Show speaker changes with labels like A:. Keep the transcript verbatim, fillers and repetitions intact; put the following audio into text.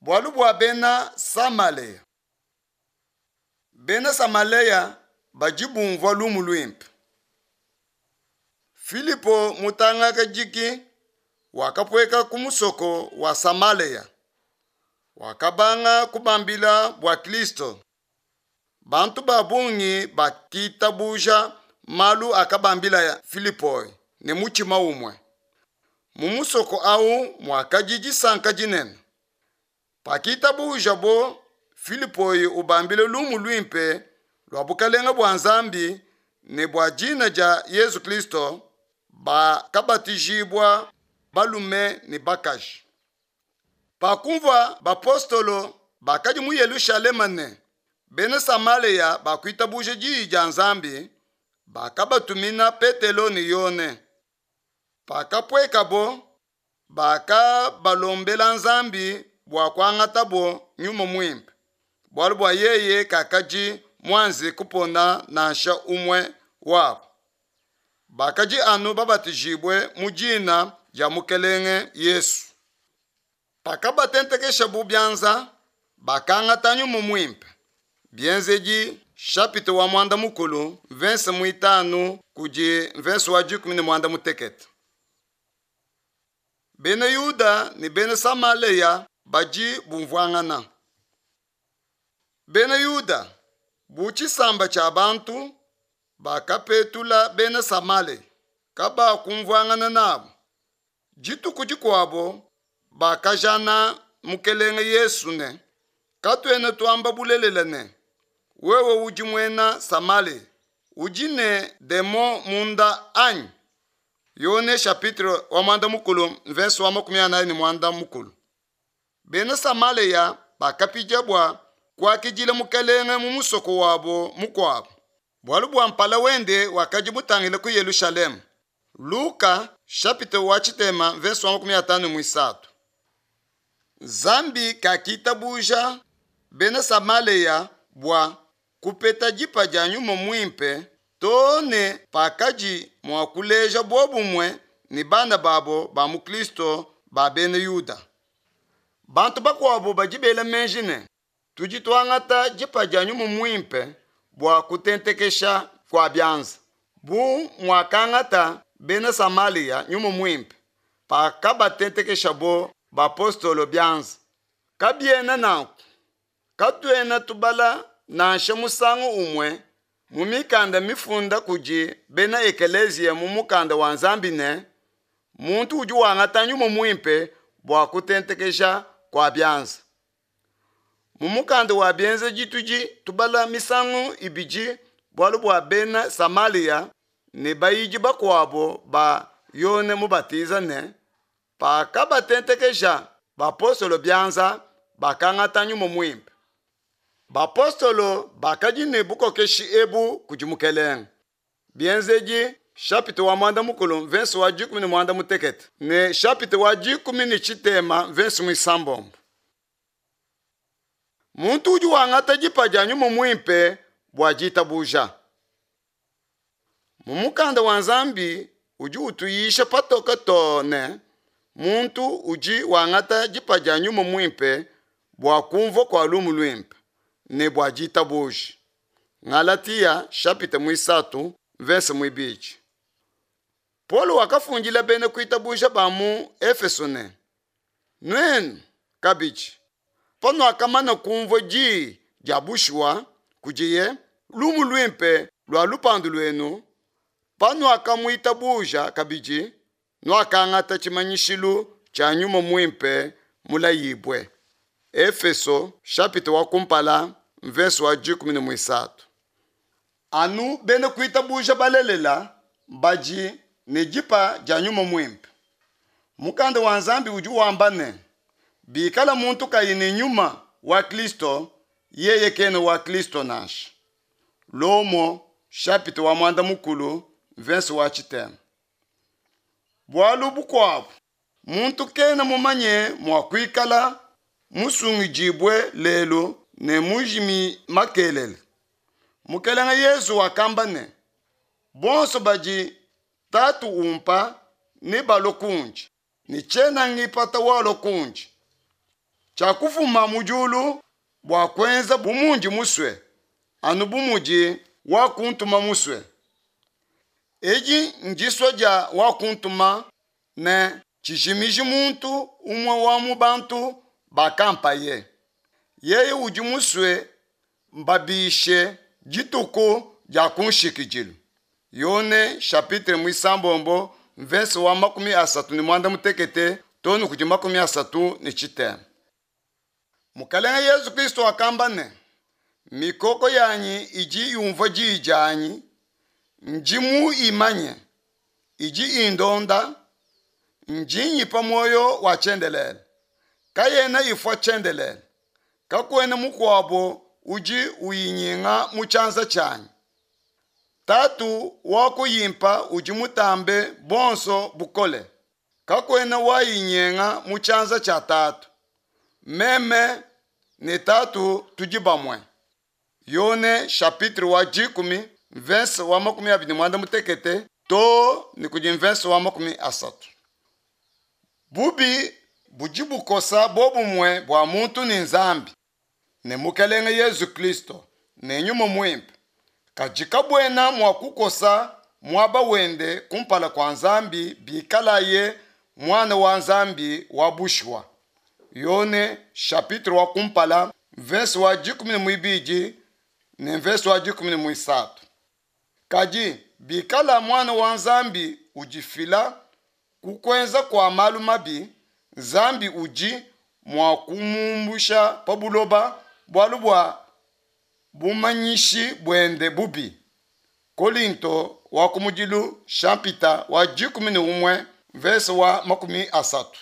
A: Bualu bua Bena Samalea. Bena Samalea badi bumvua lumu luimpe. Filipo mutangakajiki wakapueka ku musoko wa Samalea. Wakabanga kubambila bua Kristo. Bantu ba bungi bakitabuja malu akabambila Filipo ne mutshima umue. Mu musoko au muakadi disanka dinene. Pakitabujabo Filipo ubambila lumu luimpe lua bukelenge bua Nzambi ne bua dina dia Yezu Kristo, bakabatijibua balume ne bakaji. Pakumvua bapostolo bakadi mu Yelushalema ne Bena Samalea bakuitabuja diyi dia Nzambi, bakabatumina Petelo ne Yone. Pakapuekabo, bakabalombela Nzambi bua kuangatabo Nyuma Muimpe, bualu bua yeye kakadi muanze kupona nansha umue wabo. Bakadi anu babatijibue mu dina dia Mukelenge Yesu. Pakabatentekeshabu bianza, bakangata Nyuma Muimpe. Bienzedi chapitre wa muanda mukulu verse muitanu kudi verse wa dikumi ne muanda mutekete. Bena Yuda ne Bena Samalea badi bumvuangana. Bena Yuda bu tshisamba tshia bantu bakapetula Bena Samalea, kabakumvuangana nabo. Dituku dikuabo bakajana Mukelenge Yesu ne, katuena tuamba bulelela ne, wewe udi muena Samalea, udi ne demon munda anyi? Yone chapitre wa muanda mukulu verse wa makumi anayi ne muanda mukulu. Bena Samalea bakapidia bua kuakidila Mukelenge mu musoko wabo mukuabo, bualu bua mpala wende wakadi mutangile ku Yelushalema. Luka chapitre wa tshitema verse wa makumi atanu muisatu. Nzambi kakitabuja Bena Samalea bua kupeta dipa dia Nyuma Muimpe too ne pakadi mua kuleja bobumue ne bana babo ba mu Kristo ba Bena Yuda. Bantu bakuabo badi bela meji ne tudi tuangata dipa dia Nyuma Muimpe bua kutentekesha kua bianza, bu muakangata Bena Samalea Nyuma Muimpe pakabatentekeshabo bapostolo bianza. Kabiena nanku. Katuena tubala nansha musangu umue mu mikanda mifunda kudi bena ekeleziya mu mukanda wa Nzambi ne muntu udi wangata Nyuma Muimpe bua kutentekesha kua bianza. Mu mukanda wa Bienzedi tudi tubala misangu ibidi bualu bua Bena Samalea ne bayidi bakuabo ba Yone Mubatiza ne pakabatentekesha bapostolo bianza bakangata Nyuma Muimpe. Bapostolo bakadi ne bukokeshi ebu kudi Mukelenge. Bienzedi chapitre wa muanda mukulu verse wa dikumi ne muanda mutekete ne chapitre wa dikumi ne tshitema verse muisambombo. Muntu udi wangata dipa dia Nyuma Muimpe bua ditabuja. Mu mukanda wa Nzambi udi utuyisha patoke too ne muntu udi wangata dipa dia Nyuma Muimpe bua kumvua kua lumu luimpe ne bua ditabuja. Galatia chapitre muisatu verse muibidi. Paulo wakafundila bena kuitabuja ba mu Efeso ne, nuenu kabidi panuakamana kumvua diyi dia bushuwa kudiye lumu luimpe lua lupandu luenu, panuakamuitabuja kabidi nuakangata tshimanyishilu tshia Nyuma Muimpe mulayibue. Efeso chapitre wa kumpala verse wa dikumi ne muisatu. Anu bena kuitabuja balelela badi ne dipa dia Nyuma Muimpe. Mukanda wa Nzambi udi wamba ne, bikala muntu kayi ne nyuma wa Kristo, yeye kena wa Kristo nansha. Lomo chapitre wa muanda mukulu verse wa tshitema. Bualu bukuabo, muntu kena mumanye mua kuikala musungidibue lelu ne mujimi makelele. Mukelenge Yesu wakamba ne, bonso badi Tatu umpa ne balue kundi, ne tshiena ngipata walua kundi. Tshiakufuma mu diulu bua kuenza bu mundi musue, anu bu mudi wakuntuma musue. Edi ndisua dia wakuntuma ne, tshijimiji muntu umue wa mu bantu bakampaye. Yeye udi musue mbabishe dituku dia kunshikidilu. Yone chapitre muisambombo mvese wa makumi asatu ne muanda mutekete too ne kudi makumi asatu ne tshitema. Mukelenge Yesu Kristo wakamba ne, mikoko yanyi idi yumvua diyi dianyi, ndi muyimanye, idi indonda, ndi nyipa muoyo wa tshiendelele, kayena ifua tshiendelele, kakuena mukuabo udi uyinyenga mu tshianza tshianyi. Tatu wakuyimpa udi mutambe bonso bukole, kakuena wayinyenga mu tshianza tshia Tatu. Meme ne Tatu tudi bamue. Yone chapitre wa dikumi mvese wa makumi abidi muanda mutekete too ne kudi mvese wa makumi asatu. Bubi budi bukosa bobumue bua muntu ne Nzambi ne Mukelenge Yesu Kristo ne Nyuma Muimpe, kadi kabuena mua kukosa muaba wende kumpala kua Nzambi bikalaye muana wa Nzambi wa bushuwa. Yone chapitre wa kumpala mvese wa dikumi ne muibidi ne mvese wa dikumi ne muisatu. Kadi bikala muana wa Nzambi udifila ku kuenza kua malu mabi, Nzambi udi mua kumumbusha pa buloba bualu bua bumanyishi buende bubi. Kolinto wa kumudilu chapitre wa dikumi ne umue mvese wa makumi asatu.